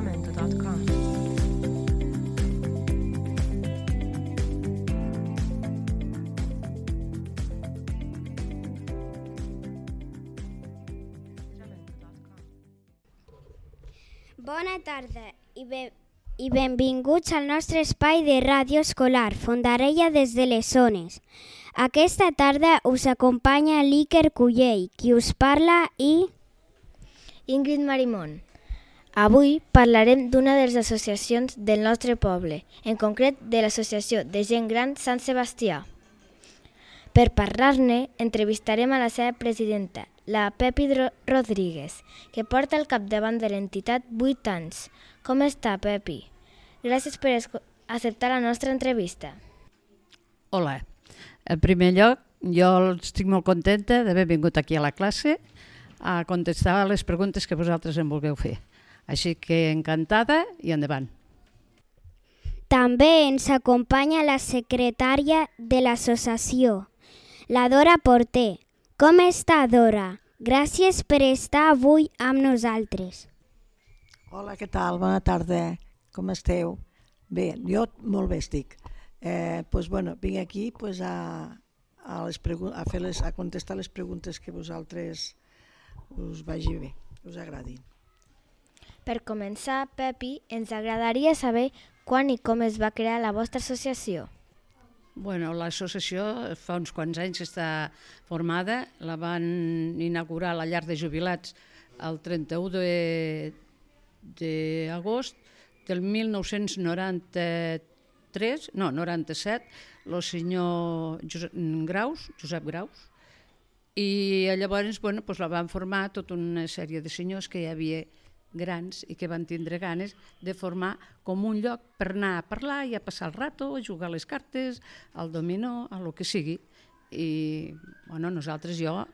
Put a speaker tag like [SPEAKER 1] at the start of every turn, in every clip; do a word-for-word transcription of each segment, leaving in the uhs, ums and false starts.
[SPEAKER 1] jamendo punto com.
[SPEAKER 2] Bona tarda i, be i benvinguts al nostre espai de ràdio escolar Fondarella des de les zones. Aquesta tarda us acompanya l'Iker Cullell, qui us parla, i
[SPEAKER 3] Ingrid Marimón. Avui parlarem d'una de les associacions del nostre poble, en concret de l'Associació de Gent Gran Sant Sebastià. Per parlar-ne, entrevistarem a la seva presidenta, la Pepi Rodríguez, que porta al capdavant de l'entitat vuit anys. Com està, Pepi? Gràcies per acceptar la nostra entrevista.
[SPEAKER 4] Hola. En primer lloc, jo estic molt contenta d'haver vingut aquí a la classe a contestar les preguntes que vosaltres em vulgueu fer. Així que encantada i endavant.
[SPEAKER 2] També ens acompanya la secretària de l'associació, la Dora Porter. Com està, Dora? Gràcies per estar avui amb nosaltres.
[SPEAKER 5] Hola, què tal? Bona tarda. Com esteu? Bé, jo molt bé estic. Eh, pues, bueno, vinc aquí pues, a, a, les a, fer les, a contestar les preguntes que vosaltres us vagi bé, us agradin.
[SPEAKER 3] Per començar, Pepi, ens agradaria saber quan i com es va crear la vostra associació.
[SPEAKER 4] Bueno, l'associació fa uns quants anys està formada, la van inaugurar a la llar de jubilats el trenta-u d'agost del mil nou-cents noranta-tres, no, noranta-set, el senyor Josep Graus, Josep Graus, i llavors bueno, doncs la van formar tota una sèrie de senyors que hi havia grans i que van tindre ganes de formar com un lloc per anar a parlar i a passar el rato, a jugar a les cartes, al dominó, a lo que sigui. I bueno, nosaltres, jo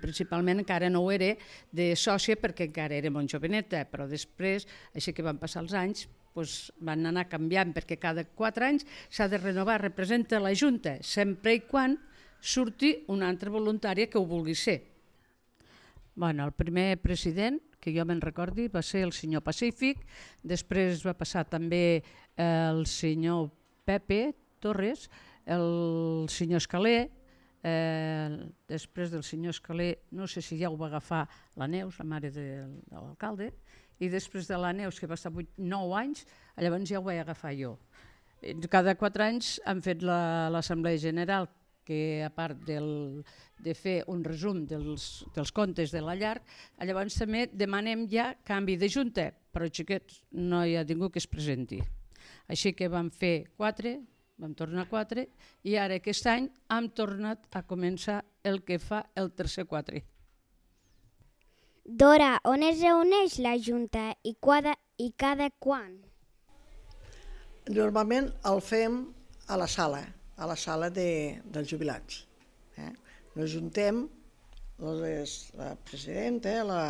[SPEAKER 4] principalment encara no ho era de sòcia perquè encara era molt joveneta, però després, així que van passar els anys, doncs van anar canviant perquè cada quatre anys s'ha de renovar, representa la Junta, sempre i quan surti una altra voluntària que ho vulgui ser. Bueno, el primer president, que jo me'n recordi, va ser el senyor Pacífic, després va passar també el senyor Pepe Torres, el senyor Escaler, eh, després del senyor Escaler, no sé si ja ho va agafar la Neus, la mare de, de l'alcalde, i després de la Neus, que va estar vuit, nou anys, llavors ja ho vaig agafar jo. Cada quatre anys han fet l'Assemblea General, que a part del, de fer un resum dels, dels comptes de la llar, llavors també demanem ja canvi de junta, però xiquets no hi ha ningú que es presenti. Així que vam fer quatre, vam tornar quatre, i ara aquest any hem tornat a començar el que fa el tercer quatre.
[SPEAKER 2] Dora, on es reuneix la junta i, cada, i cada quan?
[SPEAKER 5] Normalment el fem a la sala, a la sala de, dels jubilats. Eh? Nos juntem, les, la presidenta, la,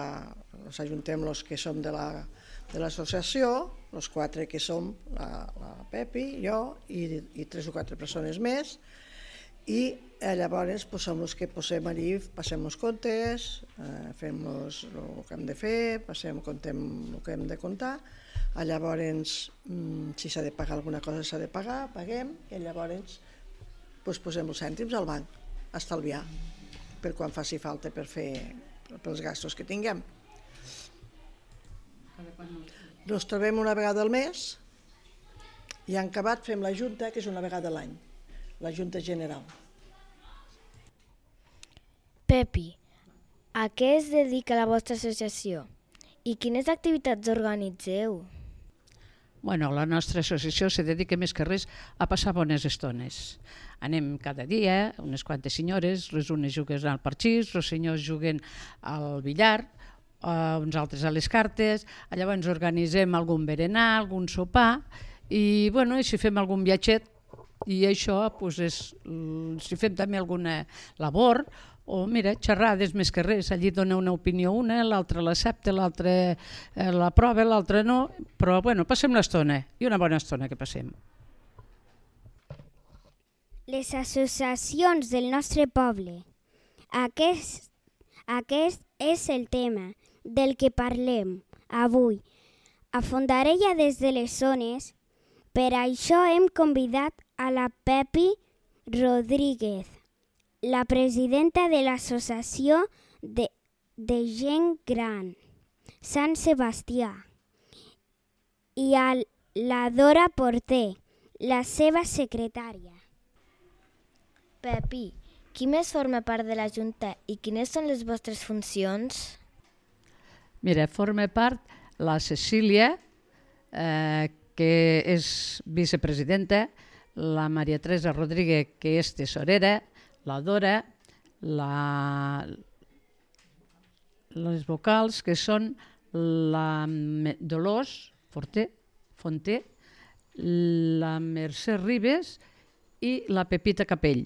[SPEAKER 5] nos ajuntem els que som de l'associació, la, els quatre que som, la, la Pepi, jo i, i tres o quatre persones més, i eh, llavors pues, som els que posem allí, passem els comptes, eh, fem los, el que hem de fer, passem, contem el que hem de comptar, llavors mm, si s'ha de pagar alguna cosa s'ha de pagar, paguem, i llavors pues, posem els cèntims al banc, a estalviar, per quan faci falta per fer pels gastos que tinguem. Ens trobem una vegada al mes i en acabat fem la junta, que és una vegada a l'any, la junta general.
[SPEAKER 3] Pepi, a què es dedica la vostra associació i quines activitats organitzeu?
[SPEAKER 4] Bueno, la nostra associació se dedica més que res a passar bones estones. Anem cada dia, unes quantes senyores, les unes juguen al parxís, els senyors juguen al billar, uh, uns altres a les cartes, llavors organitzem algun berenar, algun sopar, i bueno, si fem algun viatget, i això, doncs, és, si fem també alguna labor, o mira, xerrades més que res, allí dona una opinió una, l'altra l'accepta, l'altra eh, la prova, l'altra no, però bueno, passem l'estona, i una bona estona que passem.
[SPEAKER 2] Les associacions del nostre poble. Aquest, aquest és el tema del que parlem avui. a Fondarella des de les zones. Per això hem convidat a la Pepi Rodríguez, la presidenta de l'Associació de, de Gent Gran Sant Sebastià, i a la Dora Porter, la seva secretària.
[SPEAKER 3] Pepi, qui més forma part de la Junta i quines són les vostres funcions?
[SPEAKER 4] Mira, forma part la Cecília, eh, que és vicepresidenta, la Maria Teresa Rodríguez, que és tesorera, la Dora, la, les vocals, que són la Dolors Forter, Fonter, la Mercè Ribes i la Pepita Capell.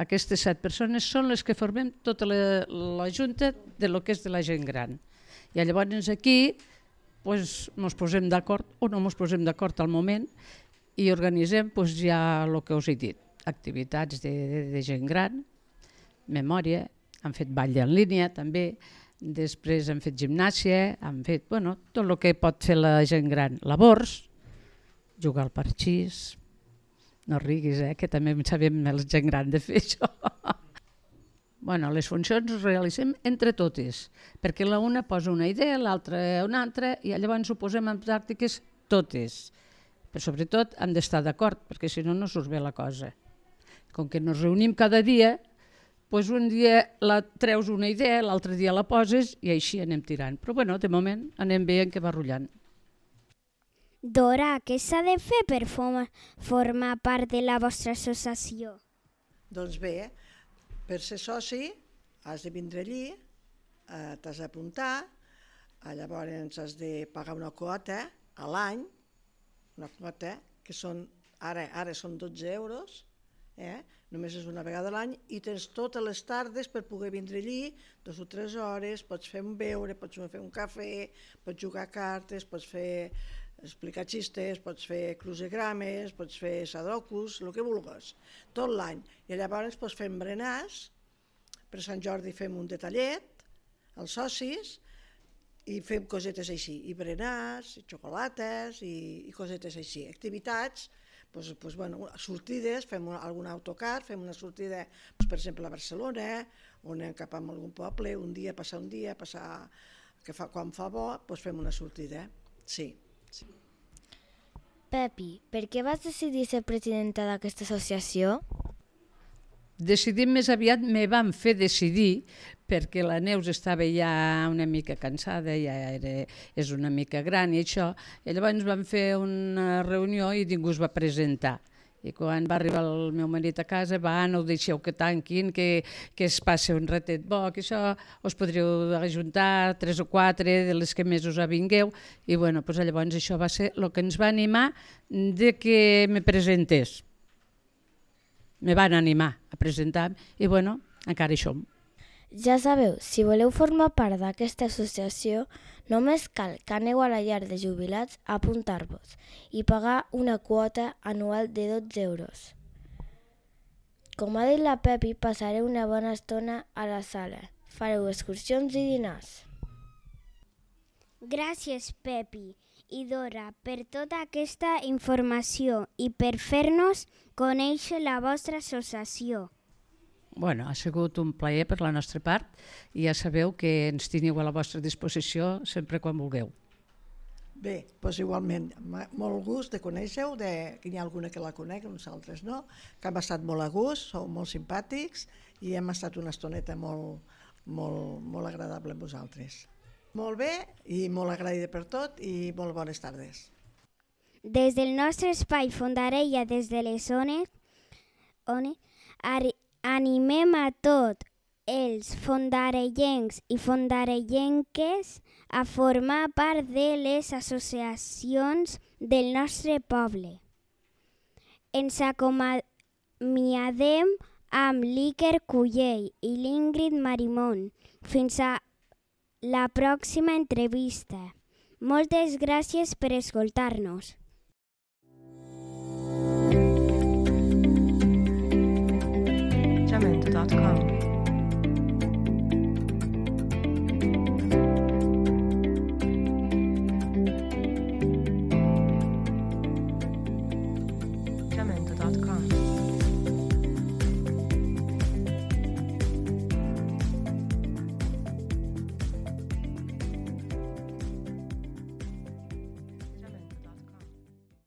[SPEAKER 4] Aquestes set persones són les que formem tota la, la junta de lo que és de la gent gran. I llavors aquí pues, ens posem d'acord o no ens posem d'acord al moment i organitzem pues, ja el que us he dit, activitats de, de, de gent gran, memòria, han fet ball en línia també, després han fet gimnàsia, han fet bueno, tot el que pot fer la gent gran, labors, jugar al parxís, no riguis, eh, que també sabem la gent gran de fer això. Bueno, les funcions les realitzem entre totes, perquè la una posa una idea, l'altra una altra, i llavors ho posem en pràctiques totes. Però sobretot hem d'estar d'acord, perquè si no, no surt bé la cosa. Com que ens reunim cada dia, doncs un dia la treus una idea, l'altre dia la poses i així anem tirant. Però bueno, de moment anem veient que va rotllant.
[SPEAKER 2] Dora, què s'ha de fer per formar part de la vostra associació?
[SPEAKER 5] Doncs bé, per ser soci has de vindre allí, eh, t'has d'apuntar, eh, llavors has de pagar una quota a l'any, una quota que són, ara, ara són dotze euros, eh? Només és una vegada a l'any i tens totes les tardes per poder vindre allí, dues o tres hores, pots fer un beure, pots fer un cafè, pots jugar a cartes, pots fer explicar xistes, pots fer crucigrames, pots fer sadocus, el que vulguis, tot l'any. I llavors pots fer berenars, per Sant Jordi fem un detallet, els socis, i fem cosetes així, i berenars, i xocolates, i, i cosetes així, activitats, pues, pues, bueno, sortides, fem algun autocar, fem una sortida, pues, per exemple, a Barcelona, o anem cap a algun poble, un dia, passar un dia, passar, que fa, quan fa bo, pues, fem una sortida, sí. Sí.
[SPEAKER 3] Pepi, per què vas decidir ser presidenta d'aquesta associació?
[SPEAKER 4] Decidir més aviat me van fer decidir perquè la Neus estava ja una mica cansada, ja era, és una mica gran i això, i llavors vam fer una reunió i ningú es va presentar. I quan va arribar el meu marit a casa, va, no ho deixeu que tanquin, que, que es passi un ratet bo, que això us podríeu ajuntar tres o quatre de les que més us avingueu. I bueno, doncs llavors això va ser el que ens va animar de que me presentés. Me van animar a presentar i bueno, encara hi som.
[SPEAKER 3] Ja sabeu, si voleu formar part d'aquesta associació, només cal que aneu a la llar de jubilats a apuntar-vos i pagar una quota anual de dotze euros. Com ha dit la Pepi, passareu una bona estona a la sala. Fareu excursions i dinars.
[SPEAKER 2] Gràcies, Pepi i Dora, per tota aquesta informació i per fer-nos conèixer la vostra associació.
[SPEAKER 4] Bueno, ha sigut un plaer per la nostra part i ja sabeu que ens teniu a la vostra disposició sempre quan vulgueu.
[SPEAKER 5] Bé, doncs igualment, molt gust de conèixer-ho, que hi ha alguna que la conec, nosaltres no, que hem estat molt a gust, sou molt simpàtics i hem estat una estoneta molt, molt, molt agradable amb vosaltres. Molt bé i molt agraïda per tot i molt bones tardes.
[SPEAKER 2] Des del nostre espai Fondarella des de les zones, on animem a tots els fondarellencs i fondarellenques a formar part de les associacions del nostre poble. Ens acomiadem amb l'Iker Cullell i l'Ingrid Marimón. Fins a la pròxima entrevista. Moltes gràcies per escoltar-nos.
[SPEAKER 1] jamendo punto com